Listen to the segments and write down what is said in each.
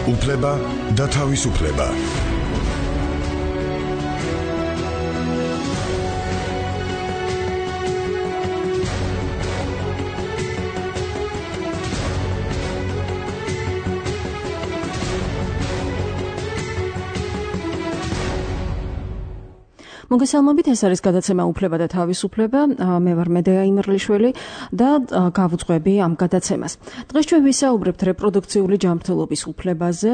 უფლება და თავისუფლება. მოგესალმებით, ეს არის გადაცემა უფლება და თავისუფლება. მე ვარ მედეა იმერლიშვილი და გავუძღვები ამ გადაცემას. დღეს ჩვენ ვისაუბრებთ რეპროდუქციული ჯანმრთელობის უფლებაზე.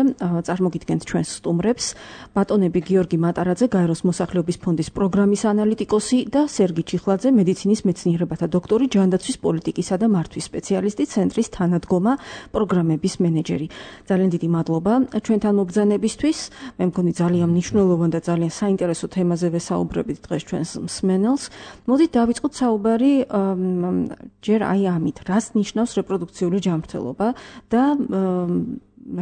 წარმოგიდგენთ ჩვენს სტუმრებს ბატონები გიორგი მატარაძე, გაეროს მოსახლეობის ფონდის პროგრამის ანალიტიკოსი და სერგი ჩიხლაძე, მედიცინის მეცნიერებათა დოქტორი, ჯანდაცვის პოლიტიკისა და მართვის სპეციალისტი, ცენტრის თანადგომა პროგრამების მენეჯერი. ძალიან დიდი მადლობა ჩვენთან მობრძანებისთვის. მე მგონი ძალიან მნიშვნელოვანი და ძალიან საინტერესო თემაზე ვესაუბრებთ დღეს ჩვენს მსმენელს. მოდით დავიწყოთ საუბარი ჯერ აი ამით, რას ნიშნავს რეპროდუქციული ჯანმრთელობა და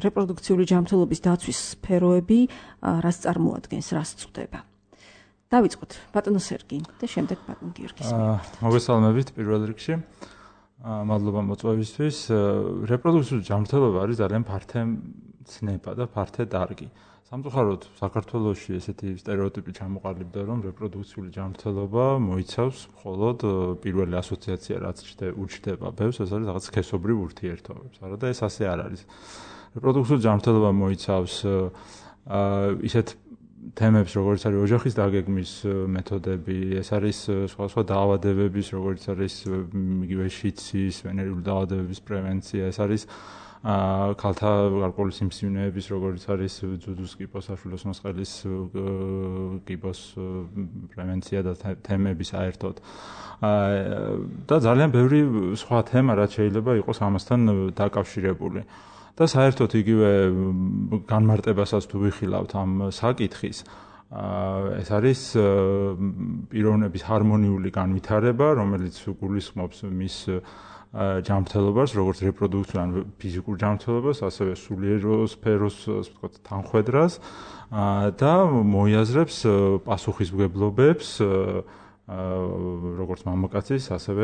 რეპროდუქციული ჯანმრთელობის დაცვის სფეროები რას წარმოადგენს, რას წვდება. დავიწყოთ ბატონო სერგი და შემდეგ ბატონ გიორგის. მოგესალმებით პირველ რიგში. მადლობა მოწვევისთვის. რეპროდუქციული ჯანმრთელობა არის ძალიან ფართე ცნება და ფართე დარგი. სამწუხაროდ საქართველოში ესეთი სტერეოტიპი ჩამოყალიბდა, რომ რეპროდუქციული ჯანმრთელობა მოიცავს მხოლოდ პირველი ასოციაცია, რაც უჩნდება ბევრს, ეს არის რაღაც სქესობრივ ურთიერთობებს. არა და ეს ასე არ არის. რეპროდუქციული ჯანმრთელობა მოიცავს ისეთ თემებს, როგორც არის ოჯახის დაგეგმის მეთოდები, ეს არის სხვა დაავადებების, როგორც არის იგივე შიცის, ვენერიული დაავადებების პრევენცია, ეს არის ქალთა გარკვეული სიმსივნეების, როგორც არის ძუძუს კიბოს, საშვილოს მოსყელის კიბოს პრევენცია და თემები საერთოდ. და ძალიან ბევრი სხვა თემა, რაც შეიძლება იყოს ამასთან დაკავშირებული. და საერთოდ იგივე განმარტებასაც თუ ვიხილავთ ამ საკითხის, ეს არის პიროვნების ჰარმონიული განვითარება, რომელიც გულისხმობს მის ჯანმრთელობას, როგორც რეპროდუქციულ ან ფიზიკურ ჯანმრთელობას, ასევე სულიერ სფეროს, ასე ვთქვათ, თანხვედრას და მოიაზრებს პასუხისმგებლობებს, როგორც მამაკაცის, ასევე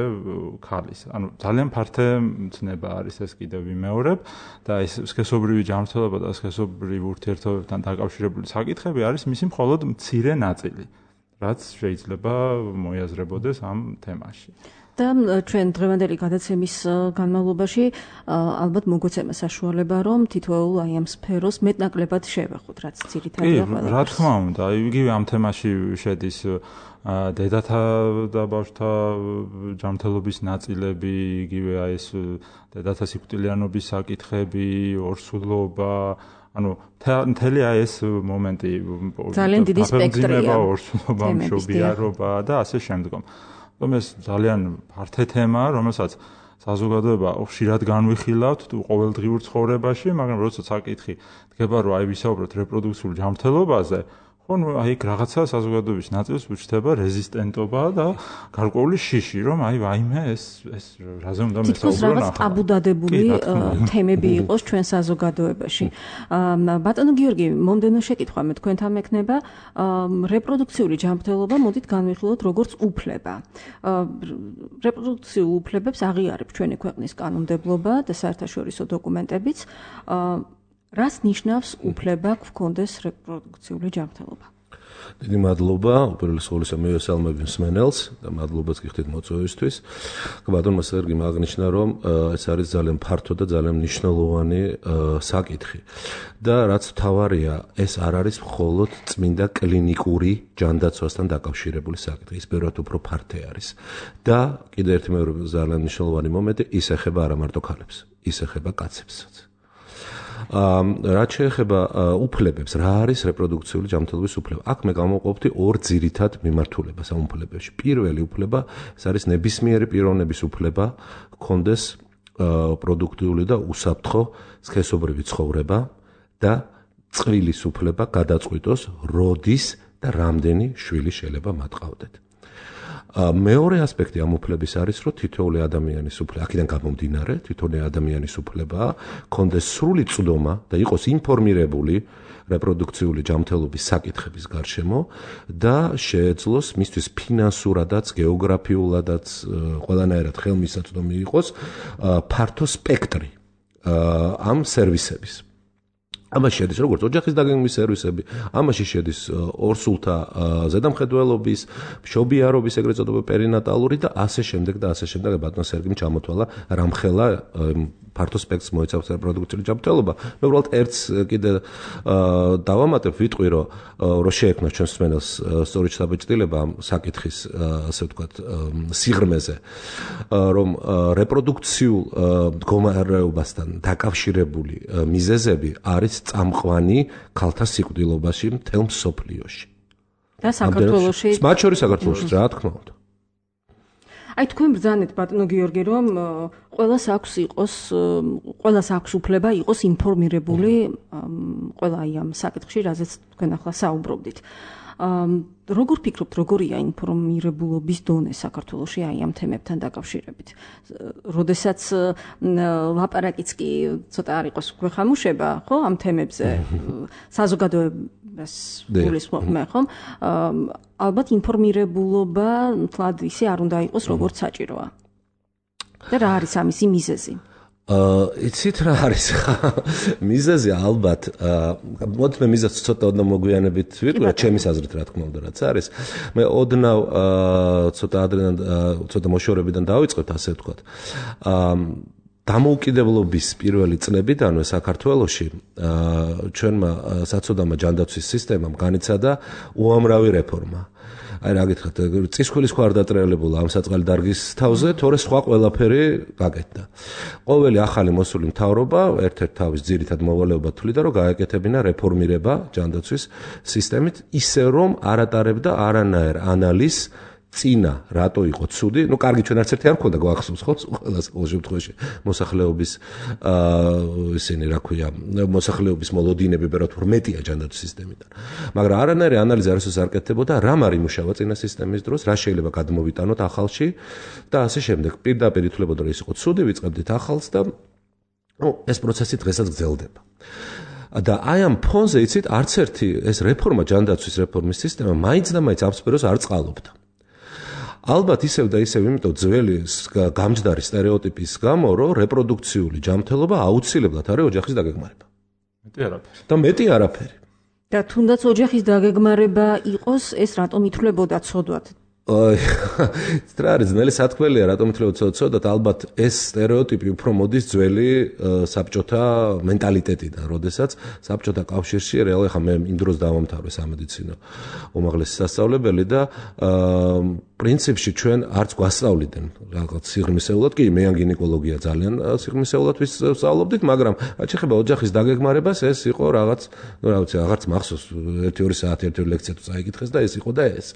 ქალის. ანუ ძალიან ფართე ცნება არის ეს კიდევ ვიმეორებ და ეს სქესობრივი ჯანმრთელობა და სქესობრივ ურთიერთობებთან დაკავშირებული საკითხები არის მისი მხოლოდ მცირე ნაწილი, რაც შეიძლება მოიაზრებოდეს ამ თემაში. და ჩვენ დღევანდელი გადაცემის განმავლობაში ალბათ მოგვეცემა საშუალება, რომ თითოეულ აი ამ სფეროს მეტნაკლებად შევეხოთ, რაც ძირითადია ყველა. რა თქმა უნდა, იგივე ამ თემაში შედის დედათა და ბავშვთა ჯანმრთელობის ნაწილები, იგივე აი ეს დედათა სიკვდილიანობის საკითხები, ორსულობა, ანუ მთელი აი ეს მომენტი, ძალიან დიდი სპექტრია, ორსულობა, მშობიარობა და ასე შემდგომ. ეს ძალიან ფართე თემაა, რომელსაც საზოგადოება ხშირად განვიხილავთ ყოველდღიურ ცხოვრებაში, მაგრამ როცა საკითხი დგება, რომ აი ვისაუბროთ რეპროდუქციული ჯანმრთელობაზე, ხო, ნუ აი რაღაცა საზოგადოების ნაწილს უჩნდება რეზისტენტობა და გარკვეული შიში, რომ აი ვაიმე ეს რაზე უნდა მესაუბრონ ახლა. თითქოს რაღაც ტაბუდადებული თემები იყოს ჩვენ საზოგადოებაში. ბატონო გიორგი, მომდევნო შეკითხვა მე თქვენთან მექნება, რეპროდუქციული ჯანმრთელობა მოდით განვიხილოთ როგორც უფლება. რეპროდუქციულ უფლებებს აღიარებს ჩვენი ქვეყნის კანონმდებლობა და საერთაშორისო დოკუმენტებიც. რას ნიშნავს უფლება გქონდეს რეპროდუქციული ჯანმრთელობა? დიდი მადლობა, უპირველეს ყოვლისა მივესალმებ მსმენელს და მადლობაც გიხდით მოწვევისთვის. ბატონმა სერგიმ აღნიშნა, რომ ეს არის ძალიან ფართო და ძალიან მნიშვნელოვანი საკითხი. და რაც მთავარია, ეს არ არის მხოლოდ წმინდა კლინიკური ჯანდაცვასთან დაკავშირებული საკითხი, ის ბევრად უფრო ფართე არის. და კიდევ ერთი მეორე ძალიან მნიშვნელოვანი მომენტი, ის ეხება არა მარტო ქალებს, ის ეხება კაცებსაც. რაც შეეხება უფლებებს, რა არის რეპროდუქციული ჯანმრთელობის უფლება? აქ მე გამოვყოფდი ორ ძირითად მიმართულებას ამ უფლებებში. პირველი უფლება, ეს არის ნებისმიერი პიროვნების უფლება, ჰქონდეს პროდუქტიული და უსაფრთხო სქესობრივი ცხოვრება და წყვილის უფლება გადაწყვიტოს, როდის და რამდენი შვილი შეიძლება მათ ყავდეთ. მეორე ასპექტი ამ უფლების არის, რომ თითოეული ადამიანის უფლება, აქედან გამომდინარე, თითოეული ადამიანის უფლება ჰქონდეს სრული წვდომა და იყოს ინფორმირებული რეპროდუქციული ჯანმრთელობის საკითხების გარშემო და შეეძლოს მისთვის ფინანსურადაც, გეოგრაფიულადაც, ყველანაირად ხელმისაწვდომი იყოს ფართო სპექტრი ამ სერვისების. ამაში შედის როგორც ოჯახის დაგეგმვის სერვისები, ამაში შედის ორსულთა ზედამხედველობის, მშობიარობის ეგრეთ წოდებული პერინატალური და ასე შემდეგ და ასე შემდეგ. ბატონ სერგიმ ჩამოთვალა რამხელა ფართო სპექტრს მოიცავს რეპროდუქციული ჯანმრთელობა. მე უბრალოდ ერთს კიდე დავამატებ, ვიტყვი რომ შეექმნა ჩვენს მსმენელს სწორი საბეჭდილება ამ საკითხის ასე ვთქვათ სიღრმეზე, რომ რეპროდუქციულ მდგომარეობასთან დაკავშირებული მიზეზები არის წამყვანი ქალთა სიკვდილობაში მთელ მსოფლიოში. და საქართველოში? მათ შორის საქართველოში, რა თქმა უნდა. აი თქვენ ბრძანეთ ბატონო გიორგი, რომ ყველას აქვს უფლება იყოს ინფორმირებული ყველა აი ამ საკითხში, რაზეც თქვენ ახლა საუბრობდით. როგორ ფიქრობთ, როგორია ინფორმირებულობის დონე საქართველოში აი ამ თემებთან დაკავშირებით? როდესაც ლაპარაკიც კი ცოტა არ იყოს გვეხამუშება, ხო, ამ თემებზე საზოგადოებას გულისხმობ მე, ხო? ალბათ ინფორმირებულობა თლად ისე არ უნდა იყოს, როგორც საჭიროა. და რა არის ამისი მიზეზი? იცით რა არის მიზეზი ალბათ მოდი მე მიზეზს ცოტა ოდნავ მოგვიანებით ვიტყვი ჩემის აზრით რა თქმა უნდა რაც არის მე ოდნავ ცოტა ადრე ცოტა მოშორებიდან დავიწყოთ ასე ვთქვათ დამოუკიდებლობის პირველი წლებიდანვე საქართველოში ჩვენმა საწოდამა ჯანდაცვის სისტემამ განიცადა უამრავი რეფორმა აი რა გითხრათ წისქვილის ხო არ დატრიალებულა ამ საწყალი დარგის თავზე თორე სხვა ყველაფერი გაკეთდა ყოველი ახალი მოსული მთავრობა ერთ-ერთ თავის ძირითად მოვალეობა თვლიდა რომ გააკეთებინა რეფორმირება ჯანდაცვის სისტემით ისე რომ არ ატარებდა არანაირ ანალიზს წინა რატო იყო ცუდი ნუ კარგი ჩვენ არც ერთი არ მქონდა გვახსოვს ხო ყველას ყოველ შემთხვევაში მოსახლეობის ისინი რა ქვია მოსახლეობის მოლოდინები ბერათ მეტია ჯანდაცვის სისტემიდან მაგრამ არანაირი ანალიზი არასდროს არ კეთდებოდა რამ არ იმუშავა წინა სისტემის დროს რა შეიძლება გადმოვიტანოთ ახალში და ასე შემდეგ პირდაპირ ითვლებოდა რომ ის იყო ცუდი ვიწყებდით ახალს და ნუ ეს პროცესი დღესაც გრძელდება და აი ამ ფონზე იცით არც ერთი ეს რეფორმა ჯანდაცვის რეფორმის სისტემა მაინც და მაინც აფსპეროს არ წყალობდა ალბათ ისევ და ისევ იმიტომ ძველი გამჯდარი სტერეოტიპის გამო რომ რეპროდუქციული ჯანმრთელობა აუცილებლად არის ოჯახის დაგეგმარება. მეტი არაფერი. და თუნდაც ოჯახის დაგეგმარება იყოს, ეს რატომ ითვლებოდა ცოდვად? რა არის ძნელი სათქმელია რატომ ითვლებოდა ცოდვად ალბათ ეს სტერეოტიპი უფრო მოდის ძველი საბჭოთა მენტალიტეტიდან, როდესაც საბჭოთა კავშირში რეალურად ხა მე იმ დროს დავამთავრე სამედიცინო უმაღლესი სასწავლებელი და პრინციპში ჩვენ არც გვასწავლიდნენ რაღაც სიღრმისეულად კი მე ან გინეკოლოგია ძალიან სიღრმისეულად ვისწავლობდით მაგრამ რაც შეეხება ოჯახის დაგეგმარებას ეს იყო რაღაც ნუ რა ვიცი აღარც მახსოვს 1-2 საათი ერთი ლექცია თუ წაიკითხეს და ეს იყო და ეს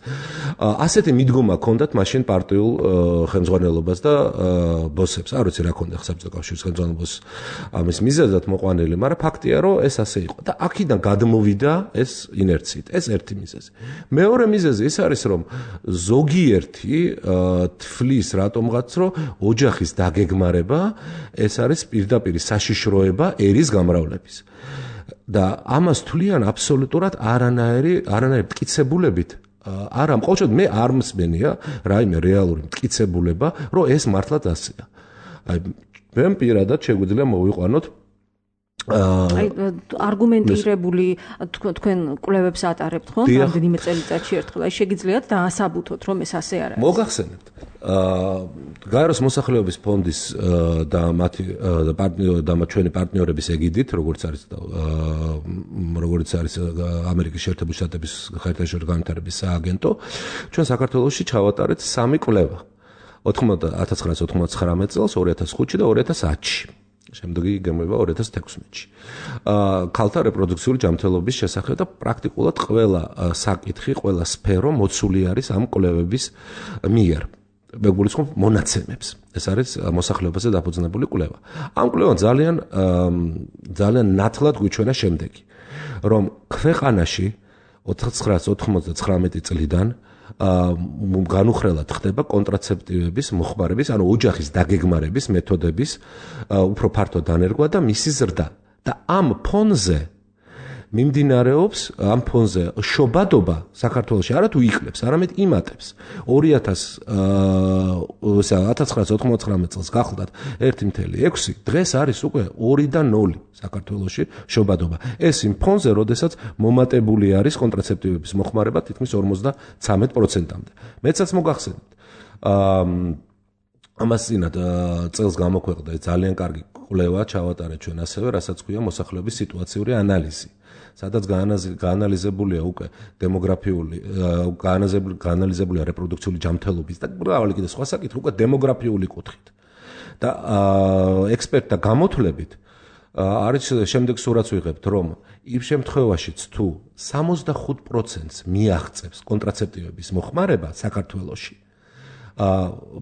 ასეთი მიდგომა ჰქონდათ მაშინ პარტიულ ხელმძღვანელობას და ბოსებს არ ვიცი რა ჰქონდა საბჭოთა კავშირის ხელმძღვანელობას ამის მიზეზად მოყვანილი მაგრამ ფაქტია რომ ეს ასე იყო და აქედან გადმოვიდა ეს ინერციით ეს ერთი მიზეზი მეორე მიზეზი ის არის რომ ზოგიერთი თვლის რატომღაც რომ ოჯახის დაგეგმარება ეს არის პირდაპირ საშიშროება ერის გამრავლების და ამას თვლიან აბსოლუტურად არანაირი მტკიცებულებით არა მყოლოდ მე არ მსმენია რაიმე რეალური მტკიცებულება რომ ეს მართლაც ასეა აი მე პირადად შეგვიძლია მოვიყვანოთ აი არგუმენტირებული თქვენ კვლევებს ატარებთ ხო? რამდენიმე წელიწადში ერთხელ აი შეგიძლიათ დაასაბუთოთ რომ ეს ასე არ არის. მოგახსენებთ. გაეროს მოსახლეობის ფონდის და მათი და ჩვენი პარტნიორების ეგიდით, როგორც არის ამერიკის შეერთებული შტატების საერთაშორისო განვითარების სააგენტო, ჩვენ საქართველოში ჩავატარეთ 3 კვლევა. 1999 წელს, 2005-ში და 2010-ში. შემდეგი გემოება 2016-ში. ქალთა რეპროდუქციული ჯანმრთელობის შესახებ და პრაქტიკულად ყველა საკითხი, ყველა სფერო მოცული არის ამ კვლევების მიერ. მე გულისხმობ მონაცემებს. ეს არის მოსახლეობაზე დაფუძნებული კვლევა. ამ კვლევამ ძალიან ნათლად გვიჩვენა შემდეგი, რომ ქვეყანაში 1999 წლიდან განუხრელად ხდება კონტრაცეპტივების მოხმარების, ანუ ოჯახის დაგეგმარების მეთოდების უფრო ფართო დანერგვა და მისი ზრდა. და ამ ფონზე მიმდინარეობს ამ ფონზე შობადობა საქართველოში არა თუ იკლებს, არამედ იმატებს. 1999 წელს გახლდათ 1.6, დღეს არის უკვე 2.0 საქართველოში შობადობა. ეს იმ ფონზე, როდესაც მომატებული არის კონტრაცეპტივების მოხმარება თითქმის 53%-მდე. მეცაც მოგახსენებთ. ამას წინათ წელს გამოქვეყნდა ძალიან კარგი კვლევა ჩავატარეთ ჩვენ ასევე, რასაც ქვია მოსახლეობის სიტუაციური ანალიზი. სადაც გაანალიზებულია უკვე დემოგრაფიული, გაანალიზებულია რეპროდუქციული ჯანმრთელობის და მრავალი კიდე სხვა საკითხი უკვე დემოგრაფიული კუთხით. და ექსპერტთა გამოთვლებით არის შემდეგ სურათს ვიღებთ, რომ იმ შემთხვევაშიც თუ 65%-ს მიაღწევს კონტრაცეპტივების მოხმარება საქართველოში,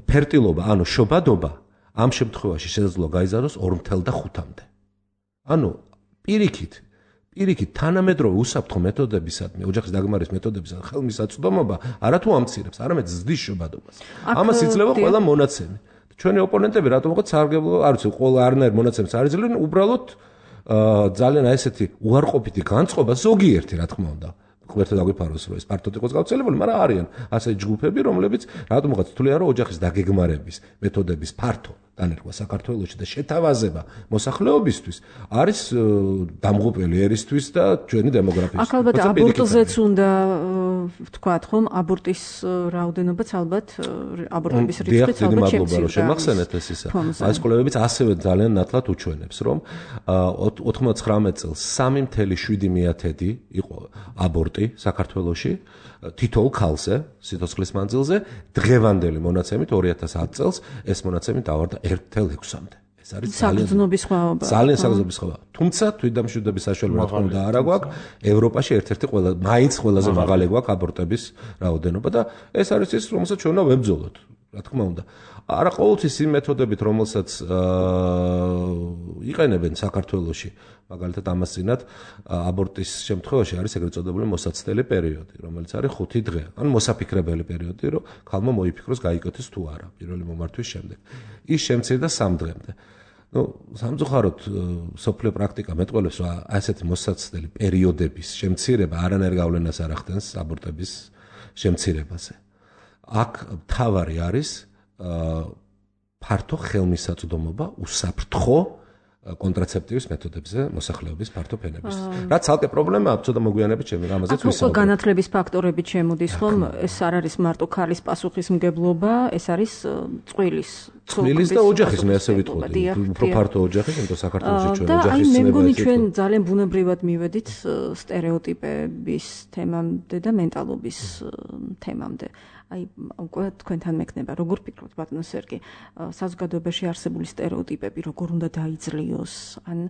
ფერტილობა, ანუ შობადობა ამ შემთხვევაში შესაძლოა გაიზარდოს 2.5-მდე. ანუ პირიქით თანამედროვე უსაფრთხო მეთოდებისადმი, ოჯახის დაგმარის მეთოდებისადმი ხელმისაწვდომობა არათუ ამცირებს, არამედ ზრდის შობადობას. ამას იძლევა ყველა მონაცემი. ჩვენი ოპონენტები რატომღაც სარგებლო, არ ვიცი, ყველა არნაირ მონაცემს არ იძლევენ, უბრალოდ ძალიან ესეთი უარყოფითი განწყობა ზოგიერთი, რა თქმა უნდა. გვერდით აგვიფაროს, რომ ეს ფართოდ იყოს გავრცელებული, მაგრამ არიან ასე ჯგუფები, რომლებიც რატომღაც თვლიან, რომ ოჯახის დაგეგმარების მეთოდების ფართო დანერგვა საქართველოში და შეთავაზება მოსახლეობისთვის არის დამღუპელი ერისთვის და ჩვენი დემოგრაფიის. აქ ალბათ აბორტზეც უნდა ვთქვათ, ხომ, აბორტის რაოდენობაც ალბათ აბორტების რიცხვიც ალბათ შემცირდა. შემახსენეთ ეს ისა. ეს კვლევებიც ასევე ძალიან ნათლად უჩვენებს, რომ 99 წელს 3.7 იყო აბორტი საქართველოში თითოეულ ქალზე, სიცოცხლის მანძილზე, დღევანდელი მონაცემით 2010 წელს ეს მონაცემი დავარდა 1.6-მდე. ეს არის საგრძნობის სხვაობა. ძალიან საგრძნობის სხვაობა. თუმცა თვითდამშვიდობის საშუალება რა თქმა უნდა არ გვაქვს. ევროპაში ერთ-ერთი მაინც ყველაზე მაღალი გვაქვს აბორტების რაოდენობა და ეს არის ის, რომელსაც ჩვენ უნდა ვებრძოლოთ, რა თქმა უნდა. არა ყოველთვის იმ მეთოდებით, რომელსაც იყენებენ საქართველოში, მაგალითად ამას წინათ აბორტის შემთხვევაში არის ეგრეთ წოდებული მოსაცდელი პერიოდი, რომელიც არის 5 დღე. ანუ მოსაფიქრებელი პერიოდი, რომ ქალმა მოიფიქროს გაიკეთოს თუ არა პირველი მომართვის შემდეგ. ის შემცირდა 3 დღემდე. სამწუხაროდ სოფლიო პრაქტიკა მეტყველებს, რომ ასეთი მოსაცდელი პერიოდების შემცირება არანაირ გავლენას არ ახდენს აბორტების შემცირებაზე. აქ მთავარი არის ფართო ხელმისაწვდომობა უსაფრთხო კონტრაცეპტივის მეთოდებზე მოსახლეობის ფართო ფენების. რაც ცალკე პრობლემაა, ცოტა მოგვიანებით ჩემი რამაზეც ვისაუბრებ. განათლების ფაქტორები შემოდის, ხომ? ეს არ არის მარტო ქალის პასუხისმგებლობა, ეს არის წყვილის და ოჯახის, მე ასე ვიტყოდი. უფრო ფართო ოჯახის, იმიტომ საქართველოში ჩვენ ოჯახის ცნება. და მე მგონი ჩვენ ძალიან ბუნებრივად მივედით სტერეოტიპების თემამდე და მენტალობის თემამდე. აი უკვე თქვენთან მექნება, როგორ ფიქრობთ ბატონო სერგი, საზოგადოებაში არსებული სტერეოტიპები როგორ უნდა დაიძლიოს? ან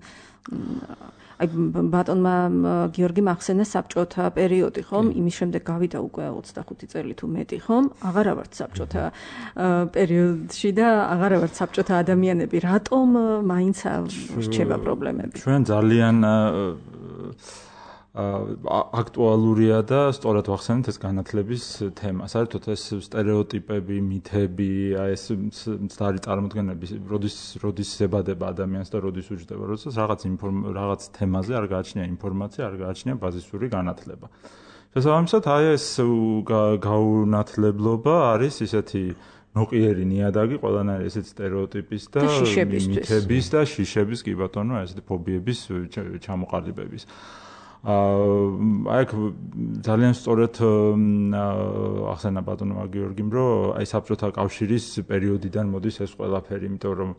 აი ბატონმა გიორგი მახსენა საბჭოთა პერიოდი, ხომ? იმის შემდეგ გავიდა უკვე 25 წელი თუ მეტი, ხომ? აღარა ვართ საბჭოთა პერიოდში და აღარა ვართ საბჭოთა ადამიანები. რატომ მაინც რჩება პრობლემები? ჩვენ ძალიან აქტუალურია და სწორად ვახსენეთ ეს განათლების თემა. საერთოდ ეს სტერეოტიპები, მითები, აი ეს მცდარი წარმოდგენები, როდის ზებადება ადამიანს და როდის უჯდება, როდესაც რაღაც თემაზე არ გააჩნია ინფორმაცია, არ გააჩნია ბაზისური განათლება. შესაბამისად, აი ეს გაუნათლებლობა არის ისეთი ნოყიერი ნიადაგი ყველანაირი ესეთი სტერეოტიპის და მითების და შიშების, კი ბატონო, ესეთი ფობიების ჩამოყალიბების. აი ძალიან სწორად ახსენა ბატონმა გიორგიმ, რომ აი საბჭოთა კავშირის პერიოდიდან მოდის ეს ყველაფერი, იმიტომ რომ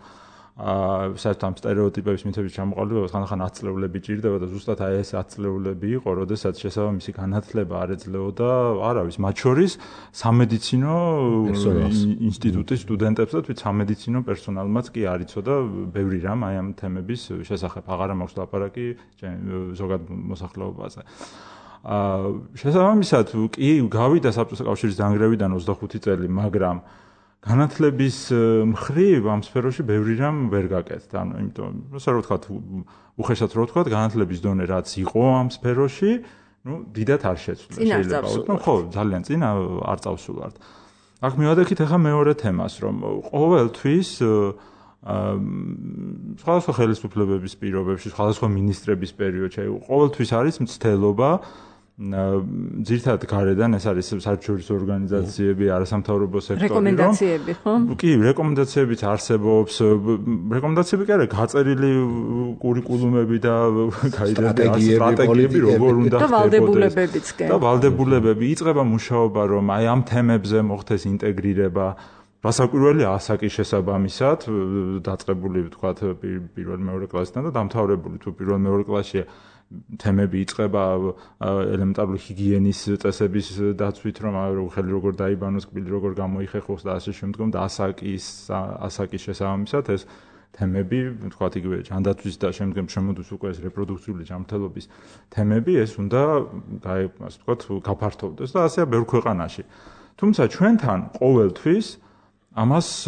საერთოდ ამ სტერეოტიპების მითების ჩამოყალიბებას ხანდახან ათწლეულები ჭირდება და ზუსტად აი ეს ათწლეულები იყო, როდესაც შესაბამისი განათლება არ ეძლეოდა, არავის, მათ შორის სამედიცინო ინსტიტუტის სტუდენტებს და თვით სამედიცინო პერსონალმაც კი არ იცოდა ბევრი რამ აი ამ თემების შესახებ. აღარა მაქვს ლაპარაკი ზოგად მოსახლეობაზე. შესაბამისად კი გავიდა საბჭოთა კავშირის დანგრევიდან 25 წელი, მაგრამ განათლების მხრივ ამ სფეროში ბევრი რამ ვერ გაკეთდა. ანუ იმიტომ, როცა რო ვთქვათ, უხეშად რო ვთქვათ, განათლების დონე რაც იყო ამ სფეროში, დიდად არ შეცვლა. შეიძლება, ხო, ძალიან წინა არ წავსულართ. აქ მივადექით ახლა მეორე თემას, რომ ყოველთვის სხვადასხვა ხელისუფლებების პირობებში, სხვადასხვა მინისტრების პერიოდში, ყოველთვის არის მცდელობა ძირთად გარედან ეს არის საერთაშორისო ორგანიზაციები, არასამთავრობო სექტორი, რეკომენდაციები, ხო? კი, რეკომენდაციებიც არსებობს, რეკომენდაციები კი არა, გაწერილი კურიკულუმები და სტრატეგიები როგორ უნდა ხდებოდეს. და ვალდებულებებიც კი. და ვალდებულებები იწყება მუშაობა, რომ აი ამ თემებზე მოხდეს ინტეგრირება. რასაკვირველია ასაკის შესაბამისად, დაწყებული ვთქვათ პირველ მეორე კლასიდან და დამთავრებული თუ პირველ მეორე კლასში თემები იწყება ელემენტარული ჰიგიენის წესების დაცვით, რომ ხელი როგორ დაიბანოს, კბილი როგორ გამოიხეხოს და ასე შემდგომ და ასაკის შესაბამისად ეს თემები, ვთქვათ იგივე ჯანდაცვის და შემდგომ შემოდის უკვე ეს რეპროდუქციული ჯანმრთელობის თემები, ეს უნდა ასე ვთქვათ გაფართოვდეს და ასეა ბევრ ქვეყანაში. თუმცა ჩვენთან ყოველთვის ამას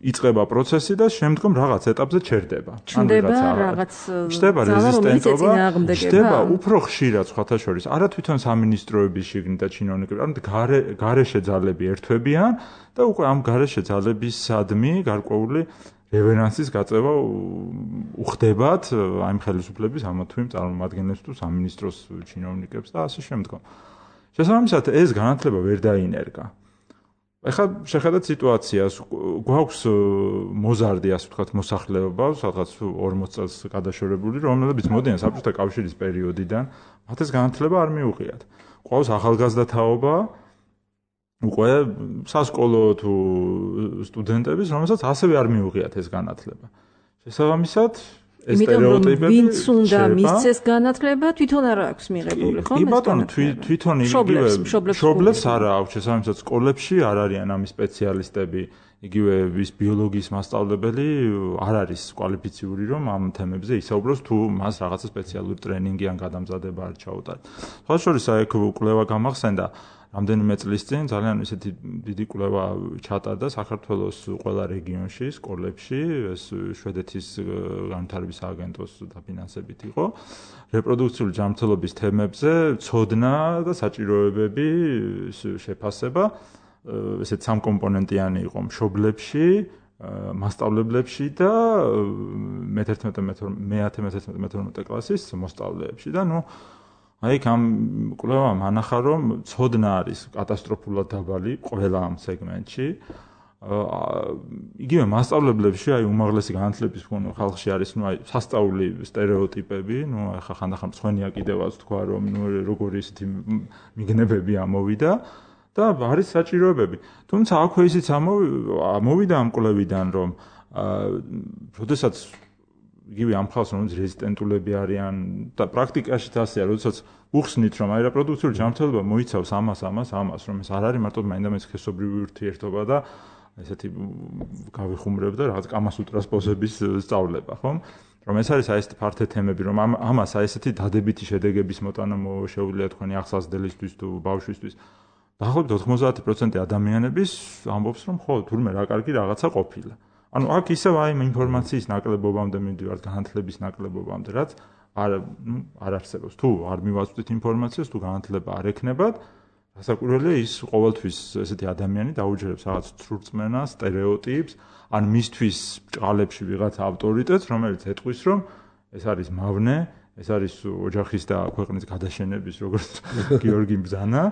იწყება პროცესი და შემდგომ რაღაც ეტაპზე ჩერდება. ჩნდება რეზისტენტობა, ჩნდება უფრო ხშირად სხვათა შორის, არა თვითონ სამინისტროების შიგნით და ჩინოვნიკები, არამედ გარეშე ძალები ერთვებიან და უკვე ამ გარეშე ძალებისადმი გარკვეული რევერანსის გაწევა უხდებათ აი ხელისუფლების ამა თუ იმ წარმომადგენლებს თუ სამინისტროს ჩინოვნიკებს და ასე შემდგომ. შესაბამისად ეს განათლება ვერ დაინერგა. ეხლა შეხედათ სიტუაციას, გვაქვს მოზარდი, ასე ვთქვათ, მოსახლეობა, სადღაც 40 წელს გადაშორებული, რომლებიც მოდიან საბჭოთა კავშირის პერიოდიდან, მათ ეს განათლება არ მიუღიათ. გვაქვს ახალგაზრდა თაობა, უკვე სასკოლო თუ სტუდენტების, რომელსაც ასევე არ მიუღიათ ეს განათლება. შესაბამისად, ეს სტერეოტიპები ვინც უნდა მისცეს განათლება, თვითონ არ აქვს მიღებული, ხო? კი ბატონო, თვითონ იგივე მშობლებს არ აქვს, შესაბამისად სკოლებში არ არიან ამის სპეციალისტები, იგივე ის ბიოლოგიის მასწავლებელი არ არის კვალიფიციური, რომ ამ თემებზე ისაუბროს, თუ მას რაღაცა სპეციალური ტრენინგი ან გადამზადება არ ჩაუტარდა. სხვა შორის აი კვლევა გამახსენდა რამდენიმე წლის წინ ძალიან ისეთი დიდი კვლევა ჩატარდა საქართველოს ყველა რეგიონში, სკოლებში, ეს შვედეთის განვითარების სააგენტოს დაფინანსებით იყო. რეპროდუქციული ჯანმრთელობის თემებზე ცოდნა და საჭიროებები შეფასება, ესეთ სამკომპონენტიანი იყო მშობლებში, მასწავლებლებში და მე-11-მე-12 კლასის მოსწავლეებში და აი ამ კვლევამ ანახა, რომ ცოდნა არის კატასტროფულად დაბალი ყველა ამ სეგმენტში. იგივე მასწავლებლებში აი უმაღლესი განათლების ხალხში არის აი სასწაული სტერეოტიპები, ახლა ხანდახან მწვენია კიდევაც თქვა, რომ როგორი ისეთი მიგნებები ამოვიდა და არის საჭიროებები. თუმცა აქვე ისიც ამოვიდა ამ კვლევიდან, რომ როდესაც იგივე ამ ხალხს რომელიც რეზისტენტულები არიან და პრაქტიკაშიც ასეა, როდესაც უხსნით რომ აი რეპროდუქციული ჯანმრთელობა მოიცავს ამას, რომ ეს არ არის მარტო მაინდა-მაინც სქესობრივი ურთიერთობა და ესეთი გავიხუმრებ და რაღაც კამასუტრას პოზების სწავლება, ხო? რომ ეს არის აი ესეთი ფართე თემები, რომ ამას აი ესეთი დადებითი შედეგების მოტანა შეუძლია თქვენი ახსასდელისთვის თუ ბავშვისთვის. დაახლოებით 90% ადამიანების ამბობს, რომ ხო, თურმე რა კარგი რაღაცა ყოფილა. ანუ აქ ისევ აი ინფორმაციის ნაკლებობამდე მივდივართ, განათლების ნაკლებობამდე, რაც არ არსებობს. თუ არ მივაწვდით ინფორმაციას, თუ განათლება არ ექნებათ, რასაკვირველია ის ყოველთვის ესეთი ადამიანი დაუჯერებს რაღაც ცრურწმენას, სტერეოტიპს, ან მისთვის ბრჭყალებში ვიღაც ავტორიტეტს, რომელიც ეტყვის, რომ ეს არის მავნე, ეს არის ოჯახის და ქვეყნის გადაშენების როგორც გიორგი ბზანა.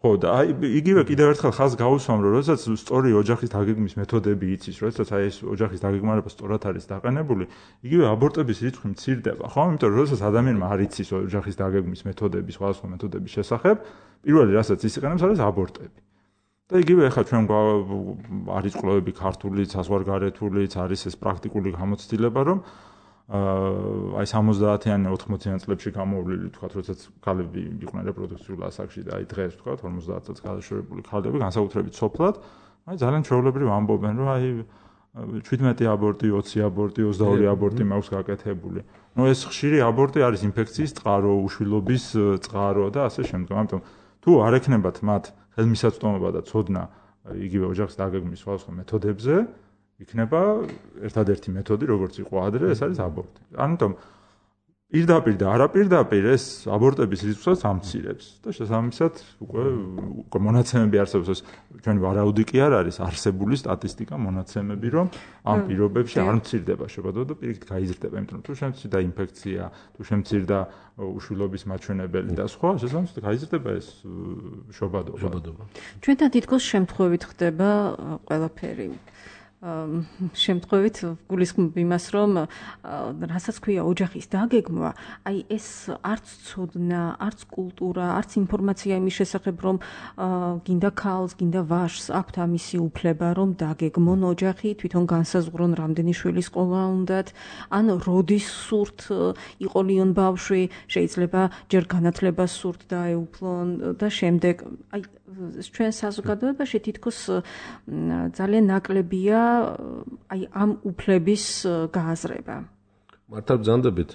ხო და აი იგივე კიდევ ერთხელ ხაზს გაუსვამ, რომ როდესაც სწორი ოჯახის დაგეგმვის მეთოდები იცის, როდესაც აი ეს ოჯახის დაგეგმარება სწორად არის დაყენებული, იგივე აბორტების რიცხვი მცირდება, ხო? იმიტომ რომ როდესაც ადამიანმა არ იცის ოჯახის დაგეგმვის მეთოდები, სხვადასხვა მეთოდების შესახებ, პირველი რასაც ის იყენებს არის აბორტები. და იგივე ახლა ჩვენ არის კვლევები ქართული, საზღვარგარეთულიც, არის ეს პრაქტიკული გამოცდილება, რომ აი 70-იან 80-იან წლებში გამოვლილი თქვათ, როდესაც ქალები იყვნენ რეპროდუქციულ ასაკში და აი დღეს თქვათ 50 წელს გადაშორებული ქალები განსაკუთრებით სოფლად, აი ძალიან ჩვეულებრივ ამბობენ, რომ აი 17 აბორტი, 20 აბორტი, 22 აბორტი მაქვს გაკეთებული. ეს ხშირი აბორტი არის ინფექციის წყარო, უშვილობის წყარო და ასე შემდგომ. ამიტომ თუ არ ექნებათ მათ ხელმისაწვდომობა და ცოდნა იგივე ოჯახის დაგეგმვის სხვადასხვა მეთოდებზე, იქნება ერთადერთი მეთოდი, როგორც იყო ადრე, ეს არის აბორტი. ამიტომ პირდაპირ და არაპირდაპირ ეს აბორტების რიცხვს ამცირებს და შესაბამისად უკვე მონაცემები არსებობს. ჩვენ ვარაუდი კი არ არის არსებული სტატისტიკა მონაცემები, რომ ამ პირობებში არ მცირდება შობადობა და პირიქით გაიზრდება, იმიტომ რომ თუ შემცირდა ინფექცია, თუ შემცირდა უშვილობის მაჩვენებელი და სხვა, შესაბამისად გაიზრდება ეს შობადობა. ჩვენთან თითქოს შემთხვევით ხდება ყველაფერი. შემთხვევით გულისხმობ იმას, რომ რასაც ქვია ოჯახის დაგეგმვა, აი ეს არც ცოდნა, არც კულტურა, არც ინფორმაცია იმის შესახებ, რომ გინდა ქალს, გინდა ვაჟს აქვთ ამისი უფლება, რომ დაგეგმონ ოჯახი, თვითონ განსაზღვრონ რამდენი შვილი სკოლა უნდათ, ან როდის სურთ იყოლიონ ბავშვი, შეიძლება ჯერ განათლებას სურთ დაეუფლონ და შემდეგ აი ჩვენ საზოგადოებაში თითქოს ძალიან ნაკლებია აი ამ უფლების გააზრება. მართლა ბრძანდებით,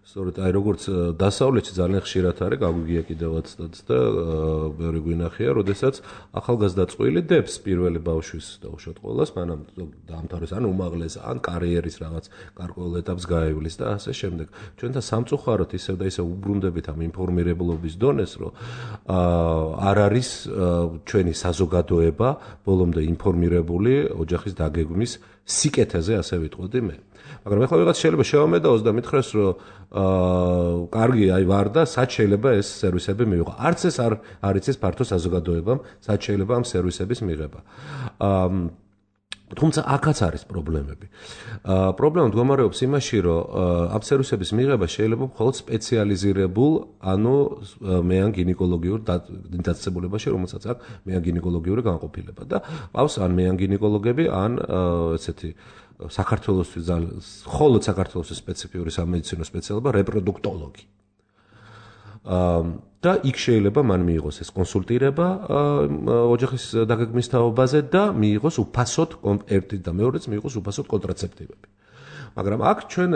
სწორედ აი როგორც დასავლეთში ძალიან ხშირად არის გაგვიგია კიდევაც და ბევრი გვინახია, როდესაც ახალგაზრდა წყვილი დებს პირველი ბავშვის დაუშვათ ყოველას, მანამ დაამთავრეს ან უმაღლეს, ან კარიერის რაღაც გარკვეულ ეტაპს გაივლის და ასე შემდეგ. ჩვენთან სამწუხაროდ ისევ და ისევ უბრუნდებით ამ ინფორმირებულობის დონეს, რომ არ არის ჩვენი საზოგადოება ბოლომდე ინფორმირებული ოჯახის დაგეგმვის სიკეთეზე, ასე ვიტყოდი მე. მაგრამ ეხლა ვიღაც შეიძლება შევამედაოს და მითხრეს, რომ კარგი აი ვარ და სად შეიძლება ეს სერვისები მივიღო. არც ეს არ იცის ფართო საზოგადოებამ, სად შეიძლება ამ სერვისების მიღება. თუმცა აქაც არის პრობლემები. პრობლემა მდგომარეობს იმაში, რომ ამ სერვისების მიღება შეიძლება მხოლოდ სპეციალიზირებულ, ანუ მეან გინეკოლოგიურ დაწესებულებაში, რომელსაც აქვს მეან გინეკოლოგიური განყოფილება და ყავს ან მეან გინეკოლოგები, ან ესეთი საქართველოსთვის მხოლოდ საქართველოსთვის სპეციფიური სამედიცინო სპეციალობა რეპროდუქტოლოგი. და იქ შეიძლება მან მიიღოს ეს კონსულტირება ოჯახის დაგეგმვის თაობაზე და მიიღოს უფასოდ ერთი და მეორეც მიიღოს უფასოდ კონტრაცეპტივები. მაგრამ აქ ჩვენ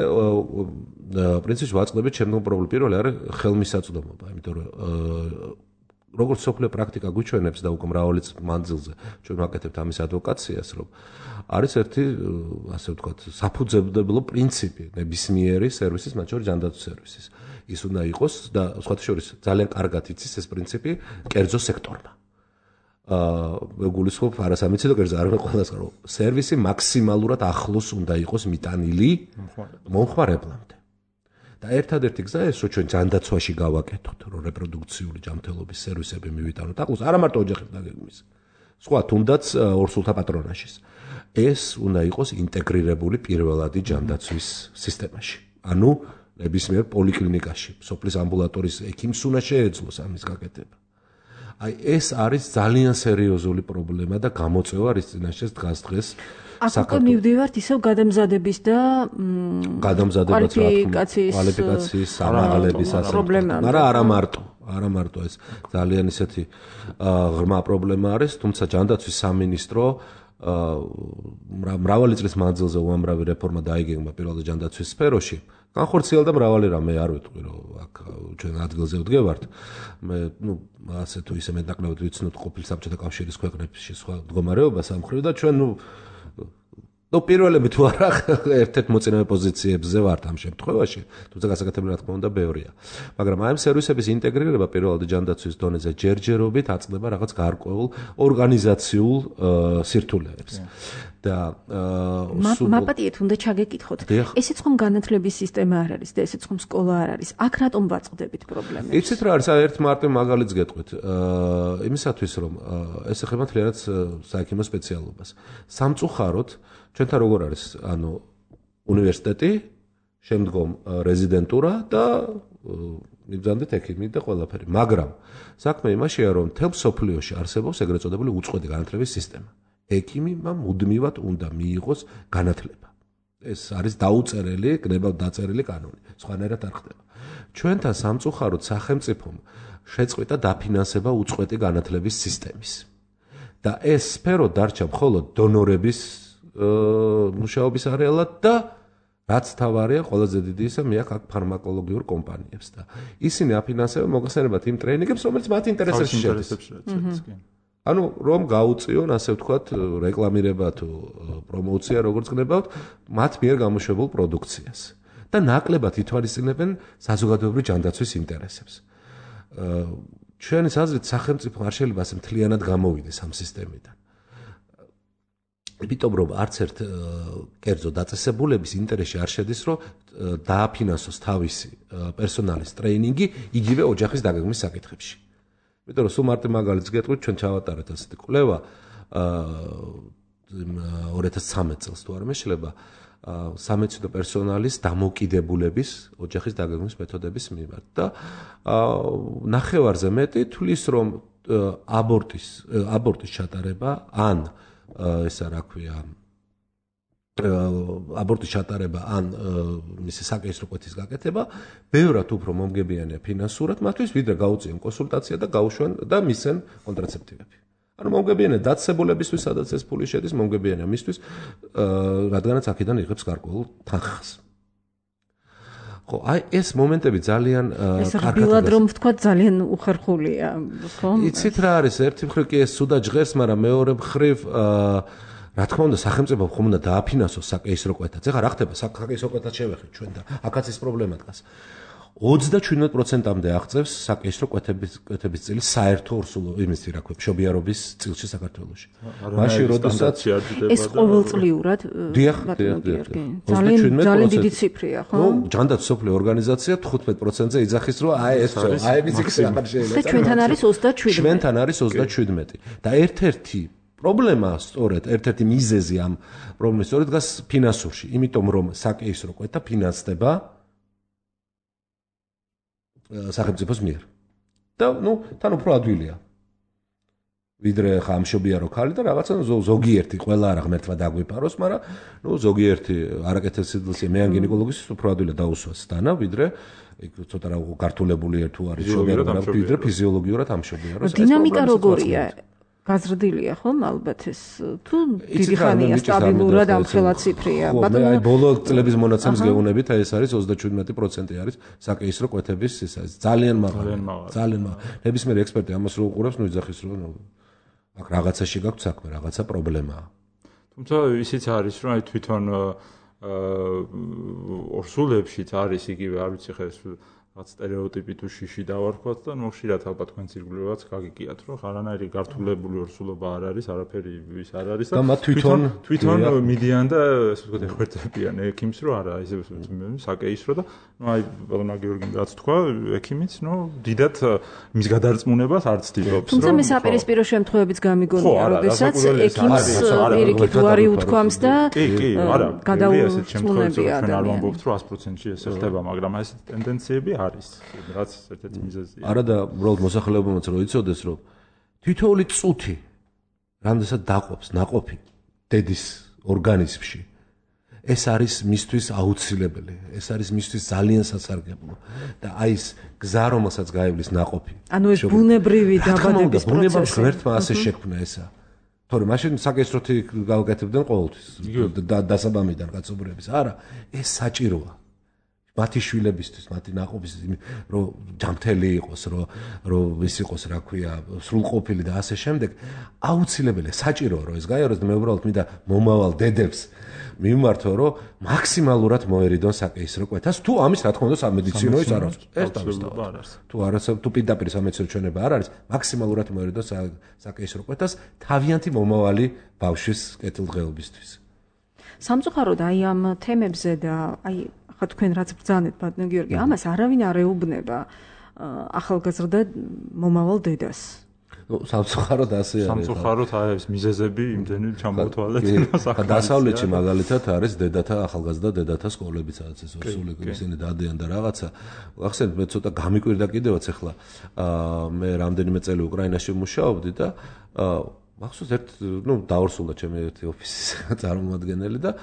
პრინციპში ვაწყდებით შემდგომ პრობლემა. პირველი არის ხელმისაწვდომობა, იმიტომ რომ როგორც სოფლიო პრაქტიკა გვიჩვენებს და უკვე მრავალი მანძილზე ჩვენ ვაკეთებთ ამის ადვოკაციას, რომ არის ერთი, ასე ვთქვათ, საფუძვლებლო პრინციპი ნებისმიერი სერვისის, მათ შორის ჯანდაცვის სერვისის. ის უნდა იყოს და სხვათა შორის ძალიან კარგად იცის ეს პრინციპი კერძო სექტორმა. გულისხმობ არასამედიცინო კერძზე, არ ყველას რომ სერვისი მაქსიმალურად ახლოს უნდა იყოს მიტანილი მომხმარებლამდე. და ერთადერთი გზა ეს, რომ ჩვენ ჯანდაცვაში გავაკეთოთ, რომ რეპროდუქციული ჯანმრთელობის სერვისები მივიტანოთ ახლოს, არა მარტო ოჯახის დაგეგმვის. სხვა თუნდაც ორსულთა პატრონაჟის. ეს უნდა იყოს ინტეგრირებული პირველადი ჯანდაცვის სისტემაში. ანუ ნებისმიერ პოლიკლინიკაში, სოფლის ამბულატორიის ექიმს უნდა შეეძლოს ამის გაკეთება. აი ეს არის ძალიან სერიოზული პრობლემა და გამოწვევა რის წინაშე დღეს აქ მივდივართ ისევ გადამზადების და კვალიფიკაციის ამაღლების პრობლემა. მაგრამ არა მარტო ეს ძალიან ისეთი ღრმა პრობლემა არის, თუმცა ჯანდაცვის სამინისტრო მრავალი წლის მანძილზე უამრავი რეფორმა დაიგეგმა პირველად ჯანდაცვის სფეროში. განხორციელდა მრავალი რამე, არ ვიტყვი რომ აქ ჩვენ ადგილზე ვდგევართ. მე ასე თუ ისე მეტნაკლებად ვიცნობ ყოფილ საბჭოთა კავშირის ქვეყნებში სხვა მდგომარეობას ამ მხრივ და ჩვენ პირველები თუ არა ერთ-ერთ მოწინავე პოზიციებზე ვართ ამ შემთხვევაში, თუმცა გასაკეთებელი რა თქმა უნდა ბევრია. მაგრამ აი ამ სერვისების ინტეგრირება პირველად ჯანდაცვის დონეზე ჯერჯერობით აწყდება რაღაც გარკვეულ ორგანიზაციულ სირთულეებს. და მაპატიეთ უნდა ჩაგეკითხოთ. ესეც ხომ განათლების სისტემა არ არის და ესეც ხომ სკოლა არ არის. აქ რატომ ვაწყდებით პრობლემებს? იცით რა არის, ერთ მარტივ მაგალითს გეტყვით. იმისათვის რომ ეს ეხება თლიანად საექიმო სპეციალობას. სამწუხაროდ ჩვენთან როგორ არის, ანუ უნივერსიტეტი, შემდგომ რეზიდენტურა და მიბრძანდით ექიმი და ყველაფერი. მაგრამ საქმე იმაშია, რომ მთელ მსოფლიოში არსებობს ეგრეთ წოდებული უწყვეტი განათლების სისტემა. ექიმმა მუდმივად უნდა მიიღოს განათლება. ეს არის დაუწერელი, კნებავ დაწერილი კანონი. სხვანაირად არ ხდება. ჩვენთან სამწუხაროდ სახელმწიფომ შეწყვიტა დაფინანსება უწყვეტი განათლების სისტემის. და ეს სფერო დარჩა მხოლოდ დონორების მუშაობის არეალად და რაც თავარია, ყველაზე დიდი ისა მე აქ ფარმაკოლოგიურ კომპანიებს და ისინი აფინანსებენ მოგხსენებათ იმ ტრეინინგებს, რომელიც მათ ინტერესებში შედის. ანუ რომ გაუწიონ, ასე ვთქვათ, რეკლამირება თუ პრომოცია, როგორც გნებავთ, მათ მიერ გამოშვებულ პროდუქციას. და ნაკლებად ითვალისწინებენ საზოგადოებრივი ჯანდაცვის ინტერესებს. ჩვენი აზრით სახელმწიფო არ შეიძლება ასე მთლიანად გამოვიდეს ამ სისტემიდან. იმიტომ რომ არც ერთ კერძო დაწესებულების ინტერესში არ შედის, რომ დააფინანსოს თავისი პერსონალის ტრეინინგი იგივე ოჯახის დაგეგმვის საკითხებში. იმიტომ რომ სულ მარტო მაგალითს გეტყვით, ჩვენ ჩავატარეთ ასეთი კვლევა 2013 წელს თუ არ მეშლება სამედიცინო პერსონალის დამოკიდებულების ოჯახის დაგეგმვის მეთოდების მიმართ და ნახევარზე მეტი თვლის, რომ აბორტის ჩატარება ან ესა რა ქვია აბორტის ჩატარება ან მისი საკეისრო კვეთის გაკეთება ბევრად უფრო მომგებიანია ფინანსურად მათთვის, ვიდრე გაუწიენ კონსულტაცია და გაუშვან და მისცენ კონტრაცეპტივები. ანუ მომგებიანია დაწესებულებისთვის, სადაც ეს ფული შედის, მომგებიანია მისთვის, რადგანაც აქედან იღებს გარკვეულ თანხას. ხო, აი ეს მომენტები ძალიან კარგად ბილად რომ ვთქვა ძალიან უხერხულია, ხო? იცით რა არის, ერთი მხრივ კი ეს სუდა ჟღერს, მაგრამ მეორე მხრივ რა თქმა უნდა, სახელმწიფო ხომ უნდა დააფინანსოს საკეისრო კვეთაც. ეხლა რა ხდება, საკეისრო კვეთაც შევეხეთ ჩვენ და აქაც ეს პრობლემა დგას. 37%-მდე აღწევს საკეისრო კვეთების წილი საერთო ორსულო იმისი რა ქვია, მშობიარობის წილში საქართველოში. მაშინ როდესაც ეს ყოველწლიურად ძალიან დიდი ციფრია, ხო? ნუ ჯანდაცვის სოფლიო ორგანიზაცია 15%-ზე იძახის, რომ აი ეს მიზიქს აღარ შეიძლება. და ჩვენთან არის 27. ჩვენთან არის 27. და ერთ-ერთი პრობლემა სწორედ ერთ-ერთი მიზეზი ამ პრობლემის სწორედ დგას ფინანსურში, იმიტომ რომ საკეისრო კვეთა ფინანსდება სახელმწიფოს მიერ. და ნუ თან უფრო ადვილია. ვიდრე ხა ამშობიარო ქალი და რაღაცა ზოგიერთი ყველა არა ღმერთმა დაგვიპაროს, მაგრამ ნუ ზოგიერთი არაკეთილ სიძველეზე მე ან გინეკოლოგის უფრო ადვილია დაუსვას დანა, ვიდრე იქ ცოტა რა გართულებული თუ არის შობიარო, ვიდრე ფიზიოლოგიურად ამშობიაროს. დინამიკა როგორია? გაზრდილია ხომ ალბათ ეს თუ დიდი ხანია სტაბილურად ამ ხელა ციფრია. ბატონო, აი ბოლო წლების მონაცემს გეუბნებით, აი ეს არის 37% არის საკეისრო კვეთების ისა ძალიან მაღალი. ძალიან მაღალი. ნებისმიერი ექსპერტი ამას რო უყურებს, ნუ იძახის რომ აქ რაღაცაში გაქვს საქმე, რაღაცა პრობლემაა. თუმცა ისიც არის, რომ აი თვითონ ორსულებშიც არის იგივე, არ ვიცი ხა ეს რაც სტერეოტიპი თუ შიში დავარქვათ და მოხშირად ალბათ თქვენ ციρგლევაც გაგიგიათ, რომ არანაირი გართულებული ორსულობა არ არის, არაფერი ის არ არის და მათ თვითონ მიდიან და ასე ვთქვათ ეხმარებიან ექიმს, რომ არა, ისე საკეისრო და ნუ აი ბატონო გიორგიმ რაც თქვა, ექიმიც, ნუ დიდად მის გადარწმუნებას არ ცდილობს, რომ თუმცა მე საპირისპირო შემთხვევებიც გამიგონია, როდესაც ექიმს პირიქით უარი უთქვამს და კი, არა, გადაუწმუნებია ჩვენ არ ვამბობთ, რომ 100%-ში ეს ხდება, მაგრამ ეს ტენდენციები არის, რაც ერთ-ერთი მიზეზია. არა და უბრალოდ მოსახლეობამაც რო იცოდეს, რომ თითოეული წუთი რამდენსაც დაყოფს ნაყოფი დედის ორგანიზმში, ეს არის მისთვის აუცილებელი, ეს არის მისთვის ძალიან სასარგებლო და აი ეს გზა რომელსაც გაივლის ნაყოფი. ანუ ეს ბუნებრივი დაბადების პროცესი. ბუნებრივი ღმერთმა ასე შექმნა ესა. თორემ მაშინ საკეისროთი გავაკეთებდნენ ყოველთვის დასაბამიდან კაცობრიობის. არა, ეს საჭიროა. მათი შვილებისთვის, მათი ნაყოფისთვის, რომ ჯანმრთელი იყოს, რომ ის იყოს, რა ქვია, სრულყოფილი და ასე შემდეგ, აუცილებელია, საჭიროა, რომ ეს გაიაროს და მე უბრალოდ მინდა მომავალ დედებს მიმართო, რომ მაქსიმალურად მოერიდონ საკეისრო კვეთას, თუ ამის რა თქმა უნდა სამედიცინო ის არ არის. ეს თავისთავად. თუ არასდროს თუ პირდაპირ სამედიცინო ჩვენება არ არის, მაქსიმალურად მოერიდონ საკეისრო კვეთას თავიანთი მომავალი ბავშვის კეთილდღეობისთვის. სამწუხაროდ აი ამ თემებზე და აი ხა თქვენ რაც ბრძანეთ ბატონო გიორგი, ამას არავინ არ ეუბნება ახალგაზრდა მომავალ დედას. ნუ სამწუხაროდ ასე არის. სამწუხაროდ აი ეს მიზეზები იმდენი ჩამოთვალეთ. დასავლეთში მაგალითად არის დედათა ახალგაზრდა დედათა სკოლები, სადაც ეს ორსული ისინი დადიან და რაღაცა. ახსენეთ მე ცოტა გამიკვირდა კიდევაც ახლა მე რამდენიმე წელი უკრაინაში ვმუშაობდი და მახსოვს ნუ დაორსულა ჩემი ერთი ოფისის წარმომადგენელი და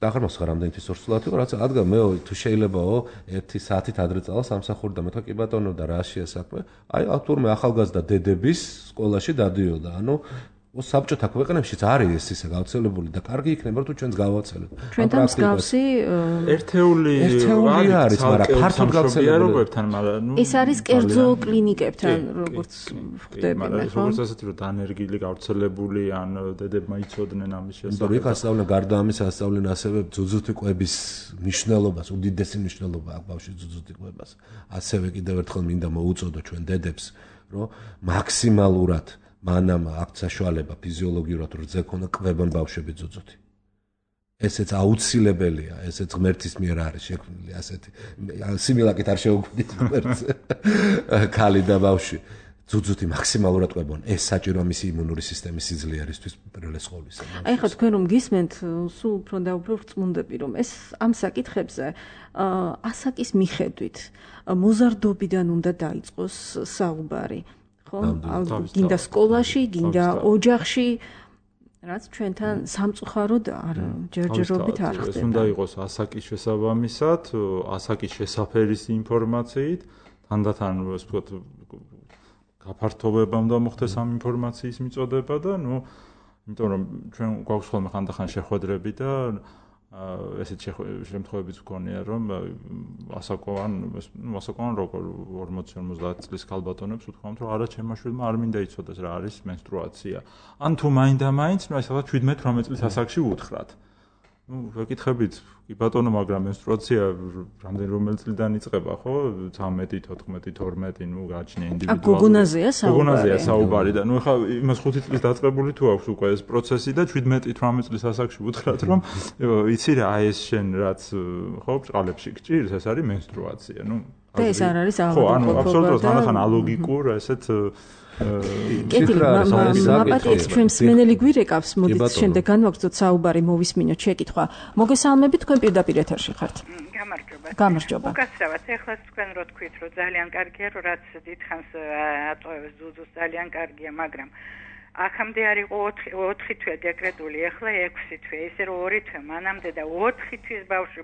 აღარ მოსხარ რამდენი თვის ორსულად იყო, რაც ადგა მე თუ შეიძლებაო 1 საათით ადრე წავალ სამსახური და მე თქვა კი ბატონო და რა შეა საქმე? აი თურმე ახალგაზრდა დედების სკოლაში დადიოდა. ანუ საბჭოთა ქვეყნებშიც არის ეს ისე გავრცელებული და კარგი იქნება თუ ჩვენც გავაცელებთ. ჩვენთან მსგავსი ერთეული არის, მაგრამ ფართოდ გავრცელებულებთან, მაგრამ ეს არის კერძო კლინიკებთან, როგორც ხვდები, მაგრამ როგორც ასეთი რომ დანერგილი გავრცელებული ან დედებმა იცოდნენ ამის შესახებ. იქ ასწავლენ გარდა ამისა ასწავლენ ასევე ძუძუთი კვების მნიშვნელობას, უდიდესი მნიშვნელობა აქვს ბავშვის ძუძუთი კვებას. ასევე კიდევ ერთხელ მინდა მოუწოდო ჩვენ დედებს, რომ მაქსიმალურად მანამ აქვს საშუალება ფიზიოლოგიურად რძე ქონა კვებონ ბავშვები ძუძუთი. ესეც აუცილებელია, ესეც ღმერთის მიერ არის შექმნილი ასეთი. სიმილაკით არ შეუგვიდით ღმერთს. ქალი და ბავშვი ძუძუთი მაქსიმალურად ყვებონ. ეს საჭირო მისი იმუნური სისტემის სიძლიერისთვის პირველეს ყოვლისა. აი ხა თქვენ რომ გისმენთ, სულ უფრო და უფრო რწმუნდები რომ ეს ამ საკითხებზე ასაკის მიხედვით მოზარდობიდან უნდა დაიწყოს საუბარი. გინდა სკოლაში, გინდა ოჯახში, რაც ჩვენთან სამწუხაროდ არ ჯერჯერობით არ ხდება. ეს უნდა იყოს ასაკის შესაბამისად, ასაკის შესაფერის ინფორმაციით, თანდათან ასე ვთქვათ, გაფართოვება უნდა მოხდეს ამ ინფორმაციის მიწოდება და იმიტომ რომ ჩვენ გვაქვს ხოლმე ხანდახან შეხვედრები და ესეთ შემთხვევებიც გქონია რომ ასაკოვან როგორ 40-50 წლის ქალბატონებს უთქვამთ რომ არა ჩემმა შვილმა არ მინდა იცოდეს რა არის მენსტრუაცია ან თუ მაინდა-მაინც აი სადღაც 17-18 წლის ასაკში უთხრათ ვეკითხებით კი ბატონო მაგრამ მენსტრუაცია რომელი წლიდან იწყება ხო 13 14 12 გააჩნია ინდივიდუალური გოგონაზეა საუბარი და ეხლა იმას 5 წლის დაწყებული თუ აქვს უკვე ეს პროცესი და 17-18 წლის ასაკში უთხრათ რომ იცი რა აი ეს შენ რაც ხო ბრწყალებში გჭირს ეს არის მენსტრუაცია და ეს არ არის ხო ანუ აბსოლუტურად თანახან ალოგიკურ ესეთ მაპატიეთ ჩვენ მსმენელი გვირეკავს მოდით შემდეგ განვაგრძოთ საუბარი მოვისმინოთ შეკითხვა მოგესალმებით თქვენ პირდაპირ ეთერში ხართ გამარჯობა უკაცრავად ეხლა თქვენ რო თქვით რომ ძალიან კარგია რომ რაც დიდხანს ატოვებს ძუძუს ძალიან კარგია მაგრამ აქამდე არ იყო 4 თვე დეკრეტული ეხლა 6 თვე ისე რომ 2 თვე მანამდე და 4 თვის ბავშვი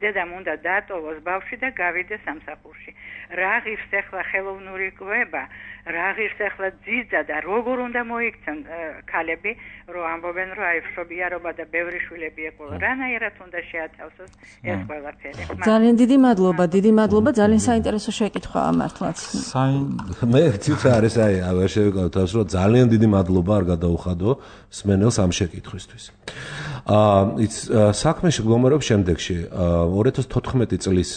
დედამ უნდა დაატოვოს ბავშვი და გავიდეს სამსახურში რა ღირს ეხლა ხელოვნური კვება რა ღირს ეხლა ძიძა და როგორ უნდა მოიქცენ ქალები რომ ამბობენ რომ აი მშობიარობა და ბევრი შვილები ეყოლა რანაირად უნდა შეათავსოს ეს ყველაფერი ძალიან დიდი მადლობა ძალიან საინტერესო შეკითხვაა მართლაც მე ცოტა არის აი აღარ შევიკავოთ თავს რომ ძალიან დიდი მადლობა არ გადაუხადო სმენელს ამ შეკითხვისთვის საქმეში გლომერობს შემდეგში 2014 წლის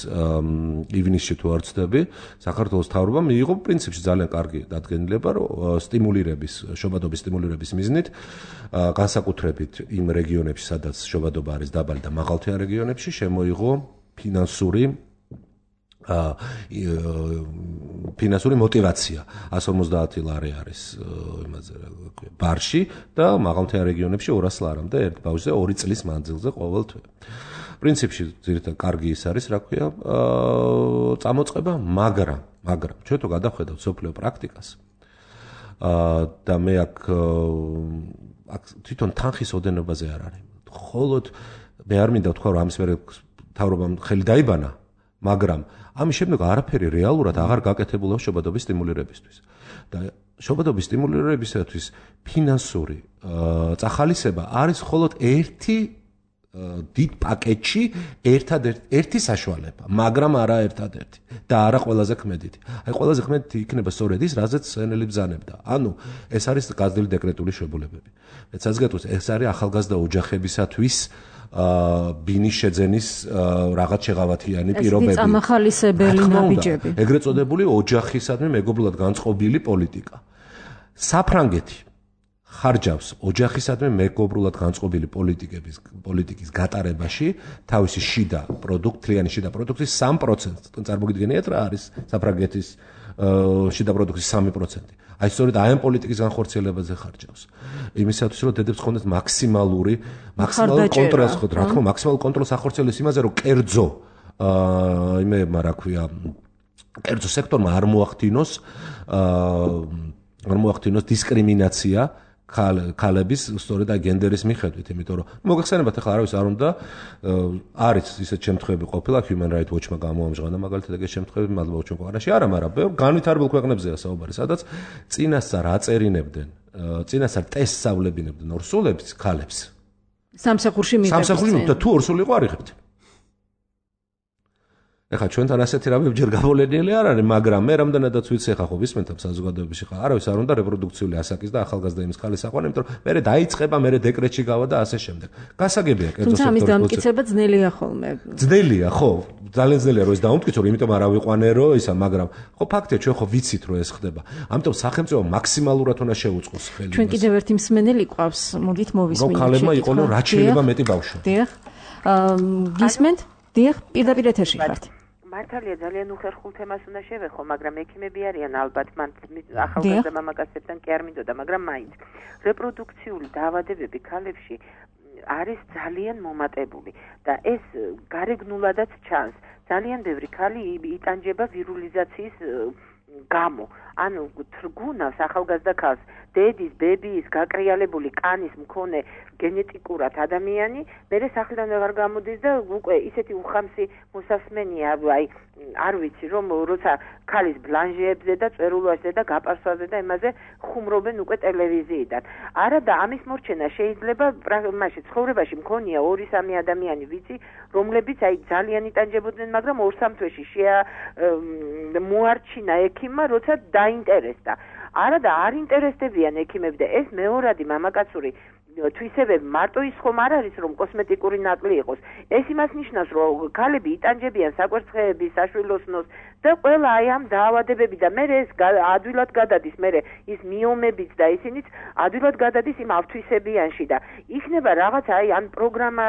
ივნისში თუ არ ვცდები საქართველოს მთავრობამ მიიღო პრინციპში ძალიან კარგი დადგენილება რომ შობადობის სტიმულირების მიზნით განსაკუთრებით იმ რეგიონებში სადაც შობადობა არის დაბალი და მაღალმთიან რეგიონებში შემოიღო ფინანსური мотиваცია 150 ლარი არის იმაზე ბარში და მაღალმთიან რეგიონებში 200 ლარამდე ერთ ბავშვზე 2 წლის მანძილზე ყოველ თვე. პრინციპში ძირითადად კარგი ის არის, რა ქვია, წამოწყება, მაგრამ ჩვენ თუ გადავხედავთ სოფლიო პრაქტიკას და მე აქ თვითონ თანხის ოდენობაზე არ არის. მხოლოდ მე არ მინდა ვთქვა რომ ამის მერე მთავრობამ ხელი დაიბანა, მაგრამ ამის შემდეგ არაფერი რეალურად აღარ გაკეთებულა შობადობის სტიმულირებისთვის. და შობადობის სტიმულირებისათვის ფინანსური წახალისება არის მხოლოდ ერთი დიდ პაკეტში ერთი საშუალება, მაგრამ არა ერთადერთი და არა ყველაზე ქმედითი. აი ყველაზე ქმედითი იქნება სწორედ ის, რაზეც სენელი ბრძანებდა. ანუ ეს არის გაზრდილი დეკრეტული შებულებები. მეცაც გეტყვის, ეს არის ახალგაზრდა ოჯახებისათვის ბინის შეძენის რაღაც შეღავათიანი პირობები. ეს წამახალისებელი ნაბიჯები. ეგრეთ წოდებული ოჯახისადმი მეგობრულად განწყობილი პოლიტიკა. საფრანგეთი ხარჯავს ოჯახისადმი მეგობრულად განწყობილი პოლიტიკის გატარებაში თავისი თლიანი შიდა პროდუქტის 3%. წარმოგიდგენიათ რა არის საფრანგეთის შიდა პროდუქტის 3%. აი სწორედ აი ამ პოლიტიკის განხორციელებაზე ხარჯავს. იმისათვის რომ დედებს ხონდეთ მაქსიმალური კონტროლს ხო, რა თქმა უნდა, მაქსიმალური კონტროლს ახორციელებს იმაზე, რომ კერძო კერძო სექტორმა არ მოახდინოს დისკრიმინაცია ქალების სწორედ გენდერის მიხედვით, იმიტომ რომ მოგეხსენებათ ახლა არავის არ უნდა არის ისეთ შემთხვევები ყოფილა Human Rights Watch-მა გამოამჟღავნა მაგალითად ეს შემთხვევები მადლობა ჩვენ ქვეყანაში არა, მაგრამ განვითარებულ ქვეყნებზეა საუბარი, სადაც წინასწარ აწერინებდნენ წინასწარ ტესტს სწავლებინებდნენ ორსულებს, ქალებს. სამსახურში მიღებდნენ და თუ ორსული იყო არ იღებდნენ. ეხლა ჩვენთან ასეთი რამე ჯერ გავლენილი არ არის, მაგრამ მე რამდენადაც ვიცი ეხლა ხო ვისმენთ საზოგადოებაში ხა არავის არ უნდა რეპროდუქციული ასაკის და ახალგაზრდა იმის ქალის აყვანა, იმიტომ რომ მე დაიწყება, მე დეკრეტში გავა და ასე შემდეგ. გასაგებია კერძო სექტორის. თუმცა ამის დამტკიცება ძნელია ხოლმე. ძნელია, ხო, ძალიან ძნელია რომ ეს დაუმტკიცო, იმიტომ არ ავიყვანე რომ ისა, მაგრამ ხო ფაქტია ჩვენ ხო ვიცით რომ ეს ხდება. ამიტომ სახელმწიფო მაქსიმალურად უნდა შეუწყოს ხელი. ჩვენ კიდევ ერთი მსმენელი ყავს, მოდით მოვისმინოთ. რომ ქალებმა იყონო რაც შეიძლება მეტი ბავშვი. დიახ. გისმენთ? დიახ, პირდაპირ ეთერში ხართ. მართალია ძალიან უხერხულ თემას უნდა შევეხო, მაგრამ ექიმები არიან ალბათ, მან ახალგაზრდა მამაკაცებთან კი არ მინდოდა, მაგრამ მაინც რეპროდუქციული დაავადებები ქალებში არის ძალიან მომატებული და ეს გარეგნულადაც ჩანს. ძალიან ბევრი ქალი იტანჯება ვირულიზაციის გამო. ანუ თრგუნავს ახალგაზრდა ქალს დედის, ბებიის, გაკრიალებული კანის მქონე გენეტიკურად ადამიანი, მერე სახლიდან აღარ გამოდის და უკვე ისეთი უხამსი მოსასმენია, აი არ ვიცი რომ როცა ქალის ბლანჟეებზე და წერულვაზე და გაპარსვაზე და იმაზე ხუმრობენ უკვე ტელევიზიიდან. არა და ამის მორჩენა შეიძლება მაშინ ცხოვრებაში მქონია 2-3 ადამიანი ვიცი, რომლებიც აი ძალიან იტანჯებოდნენ, მაგრამ 2-3 თვეში მოარჩინა ექიმმა, როცა დაინტერესდა. არა და არ ინტერესდებიან ექიმები და ეს მეორადი მამაკაცური თვისებები მარტო ის ხომ არ არის რომ კოსმეტიკური ნაკლი იყოს. ეს იმას ნიშნავს რომ ქალები იტანჯებიან საკვერცხეების, საშვილოსნოს და ყველა აი ამ დაავადებები და მე ეს ადვილად გადადის, მე ის მიომებიც და ისინიც ადვილად გადადის იმ ავთვისებიანში და იქნება რაღაცა აი ან პროგრამა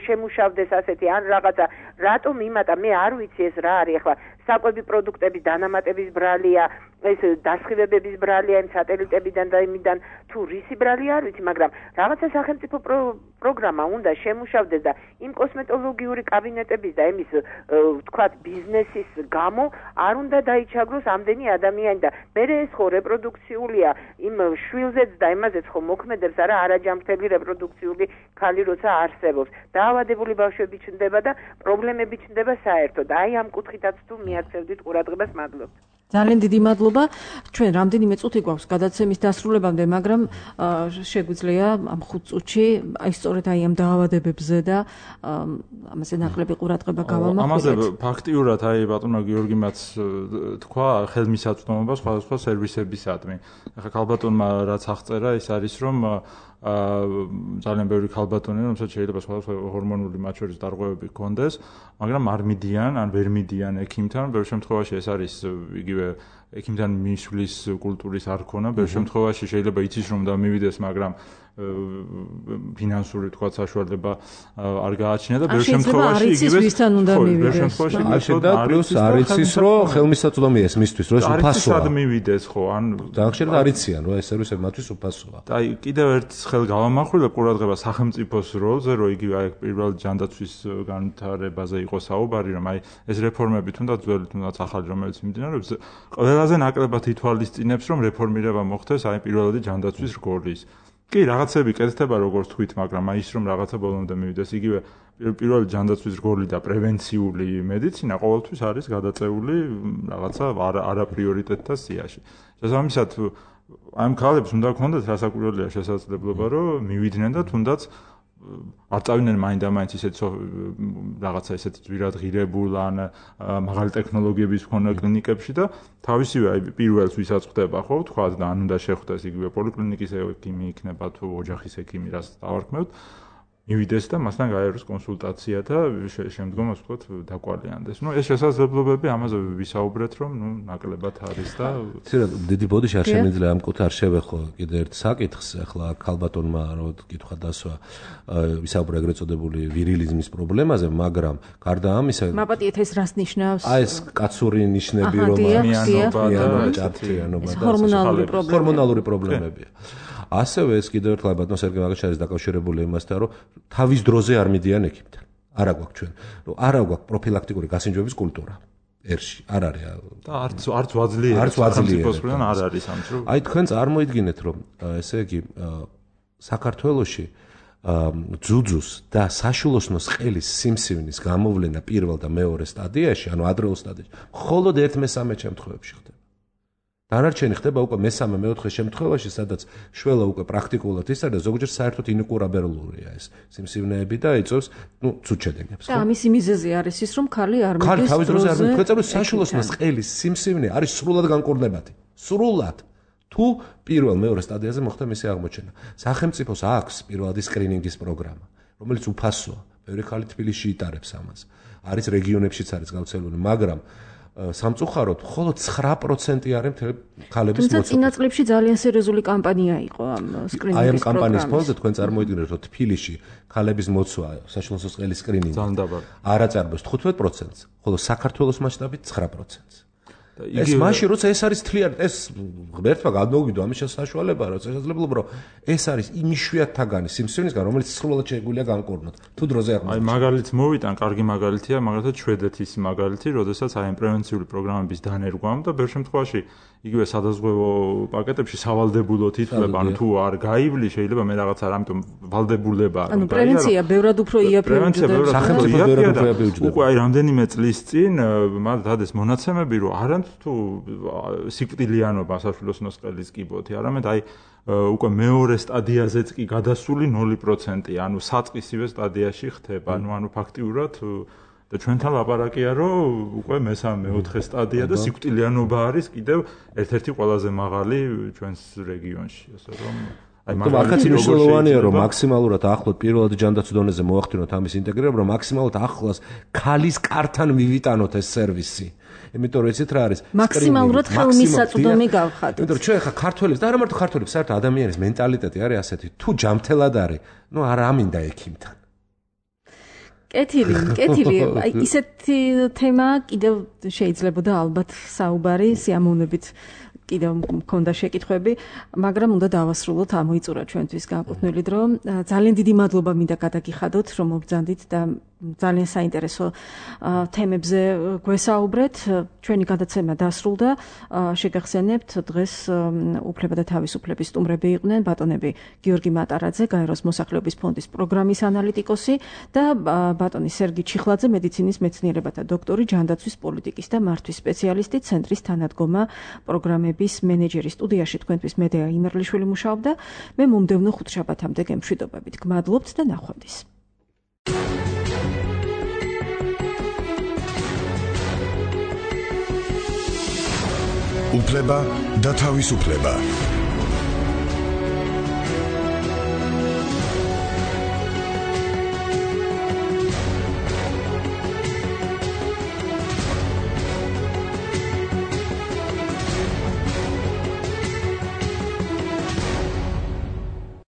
შემუშავდეს ასეთი ან რაღაცა რატომ იმატა მე არ ვიცი ეს რა არის ახლა საკვები პროდუქტების დანამატების ბრალია ეს დასხივებების ბრალია იმ სატელიტებიდან და იმიდან თუ რისი ბრალია არ ვიცი მაგრამ რაღაცა სახელმწიფო პროგრამა უნდა შემუშავდეს და იმ კოსმეტოლოგიური კაბინეტების და იმის ვთქვათ ბიზნესის გამო არ უნდა დაიჩაგროს ამდენი ადამიანი და მე ეს ხო რეპროდუქციულია იმ შვილზეც და იმაზეც ხო მოქმედებს არა არაჯანმრთელი რეპროდუქციული ქალი როცა არსებობს დაავადებული ბავშვები ჩნდება და პრობლემები ჩნდება საერთოდ აი ამ კუთხითაც თუ მიაქცევდით ყურადღებას მადლობთ ძალიან დიდი მადლობა. ჩვენ რამდენიმე წუთი გვაქვს გადაცემის დასრულებამდე, მაგრამ შეგვიძლია ამ 5 წუთში აი სწორედ აი ამ დაავადებებზე და ამაზე ნაკლები ყურადღება გავამახვილოთ. ამაზე ფაქტიურად აი ბატონო გიორგიმაც თქვა ხელმისაწვდომობა სხვადასხვა სერვისებისადმი. ახლა ქალბატონმა რაც აღწერა ის არის რომ ძალიან ბევრი ქალბატონია, რომელსაც შეიძლება სხვადასხვა ჰორმონული მათ შორის დარღვევები ჰქონდეს, მაგრამ არ მიდიან, ან ვერ მიდიან ექიმთან. ბევრ შემთხვევაში ეს არის იგივე ექიმთან მისვლის კულტურის არ ქონა. ბევრ შემთხვევაში შეიძლება იცის რომ და მივიდეს, მაგრამ ფინანსური თქვა საშუალება არ გააჩნია და ბევრ შემთხვევაში იგივე ვისთან უნდა მივიდეს. და პლუს არ იცის რომ ხელმისაწვდომია ეს მისთვის რომ ეს უფასოა. არ მივიდეს ხო ან დაახშერდა არ იციან რომ ეს სერვისები მათთვის უფასოა. და აი კიდევ ერთ ხელ გავამახვილებ ყურადღება სახელმწიფოს როლზე რომ იგივე აი პირველ ჯანდაცვის განვითარებაზე იყო საუბარი რომ აი ეს რეფორმები თუნდაც ძველი თუნდაც ახალი რომელიც მიმდინარეობს ყველაზე ნაკლებად ითვალისწინებს რომ რეფორმირება მოხდეს აი პირველადი ჯანდაცვის რგოლის კი რაღაცები კეთდება როგორც თქვით მაგრამ აი ის რომ რაღაცა ბოლომდე მივიდეს იგივე პირველი ჯანდაცვის რგოლი და პრევენციული მედიცინა ყოველთვის არის გადაწეული რაღაცა არაპრიორიტეტთა სიაში შესაბამისად ამ ქალებს უნდა ქონდეთ რასაკვირველია შესაძლებლობა რომ მივიდნენ და თუნდაც არ წავიდნენ მაინდა-მაინც ისეთ რაღაცა ესეთი ძვირად ღირებულ ან მაღალი ტექნოლოგიების მქონე კლინიკებში და თავისივე აი პირველს ვისაც ხდება ხო თქვა და ან უნდა შეხვდეს იგივე პოლიკლინიკის ექიმი იქნება თუ ოჯახის ექიმი რაც დავარქმევთ მივიდეს და მასთან გაეროს კონსულტაცია და შემდგომ ასე ვთქვათ დაკვალიანდეს. ნუ ეს შესაძლებლობები ამაზე ვისაუბრეთ რომ ნუ ნაკლებად არის და დიდი ბოდიში არ შემიძლია ამ კუთხე არ შევეხო კიდე ერთ საკითხს ახლა ქალბატონმა რო კითხვა დასვა ვისაუბრა ეგრეთ წოდებული ვირილიზმის პრობლემაზე მაგრამ გარდა ამისა მაპატიეთ ეს რას ნიშნავს? აი ეს კაცური ნიშნები რომ მიანობა და ჭართლიანობა და ჰორმონალური პრობლემებია. ასევე ეს კიდევ ერთხელ ბატონ სერგეი მაგაჩარის დაკავშირებული იმასთან რომ თავის დროზე არ მიდიან ექიმთან. არა გვაქვს ჩვენ. არა გვაქვს პროფილაქტიკური გასინჯვების კულტურა. ერში არ არის და არც ვაძლიერებენ არ არის ამ დრო. აი თქვენ წარმოიდგინეთ რომ ესე იგი საქართველოში ძუძუს და საშვილოსნოს ყელის სიმსივნის გამოვლენა პირველ და მეორე სტადიაში, ანუ ადრეულ სტადიაში, მხოლოდ 1/3 შემთხვევებში ხდება. დანარჩენი ხდება უკვე მესამე მეოთხე შემთხვევაში, სადაც შველა უკვე პრაქტიკულად ის არის და ზოგჯერ საერთოდ ინკურაბელურია ეს სიმსივნეები და იწევს, ცუდ შედეგებს. და ამის მიზეზი არის ის, რომ ხალი არ მიდის. ხალი თავის დროზე არ მიდის. თქვენ წერთ საშუალოსნოს ყელის სიმსივნე არის სრულად განკურნებადი. სრულად. თუ პირველ მეორე სტადიაზე მოხდა მისი აღმოჩენა. სახელმწიფოს აქვს პირველადი სკრინინგის პროგრამა, რომელიც უფასოა. ბევრი ხალი თბილისში იტარებს ამას. არის რეგიონებშიც არის გავრცელებული, მაგრამ სამწუხაროდ მხოლოდ 9% არის მთელი ხალების მოწოდება. თუმცა წინა წლებში ძალიან სერიოზული კამპანია იყო ამ სკრინინგის პროგრამის. აი ამ კამპანიის ფონზე თქვენ წარმოიდგინეთ, რომ თბილისში ხალების მოცვა საშუალო ყელის სკრინინგი არ აწარმოებს 15%-ს, ხოლო საქართველოს მასშტაბით 9%-ს. ეს მაშინ როცა ეს არის თლიანი ეს ღმერთმა გადმოვიდო ამის საშუალება რა შესაძლებლობა რომ ეს არის იმ იშვიათთაგანი სიმსივნისგან რომელიც სრულად შეგვიძლია განკურნოთ თუ დროზე აღმოჩნდა. აი მაგალითს მოვიტან, კარგი მაგალითია მაგალითად შვედეთის მაგალითი, როდესაც აი ამ პრევენციული პროგრამების დანერგვამ და ბევრ შემთხვევაში იგივე სადაზღვევო პაკეტებში სავალდებულო თითქოს ანუ თუ არ გაივლი შეიძლება მე რაღაცა ამიტომ ვალდებულება ანუ პრევენცია ბევრად უფრო იაფია უკვე აი რამდენიმე წლის წინ მათ დადეს მონაცემები რომ არანც თუ სიკვდილიანობა სასულოსნოს ყელის კიბოთი არამედ აი უკვე მეორე სტადიაზეც კი გადასული 0%, ანუ საწყისივე სტადიაში ხდება, ანუ ფაქტიურად და ჩვენთან ლაპარაკია რომ უკვე მესამე მეოთხე სტადია და სიკვდილიანობა არის კიდევ ერთ-ერთი ყველაზე მაღალი ჩვენს რეგიონში, ასე რომ აი მაგაც მნიშვნელოვანია რომ მაქსიმალურად ახლოს პირველად ჯანდაცვის დონეზე მოახდინოთ ამის ინტეგრირება, რომ მაქსიმალურად ახლოს ქალის კართან მივიტანოთ ეს სერვისი. იმიტომ რომ იცით რა არის მაქსიმალურად ხელმისაწვდომი გავხადოთ. იმიტომ რომ ჩვენ ხა ქართველებს და არა მარტო ქართველებს, საერთოდ ადამიანის მენტალიტეტი არის ასეთი, თუ ჯამთელად არის, ნუ არ ამინდა ექიმთან. კეთილი, აი ისეთი თემა კიდევ შეიძლებოდა ალბათ საუბარი სიამოვნებით კიდევ მქონდა შეკითხვები, მაგრამ უნდა დავასრულოთ, ამოიწურა ჩვენთვის განკუთვნილი დრო. ძალიან დიდი მადლობა მინდა გადაგიხადოთ, რომ მობრძანდით და ძალიან საინტერესო თემებზე გვესაუბრეთ. ჩვენი გადაცემა დასრულდა. შეგახსენებთ, დღეს უფლება და თავისუფლების სტუმრები იყვნენ ბატონები გიორგი მატარაძე, გაეროს მოსახლეობის ფონდის პროგრამის ანალიტიკოსი და ბატონი სერგი ჩიხლაძე, მედიცინის მეცნიერებათა დოქტორი, ჯანდაცვის პოლიტიკის და მართვის სპეციალისტი, ცენტრის თანადგომა პროგრამების მენეჯერი. სტუდიაში თქვენთვის მედეა იმერლიშვილი მუშაობდა. მე მომდევნო ხუთშაბათამდე გემშვიდობებით. გმადლობთ და ნახვამდის. უფლება და თავისუფლება.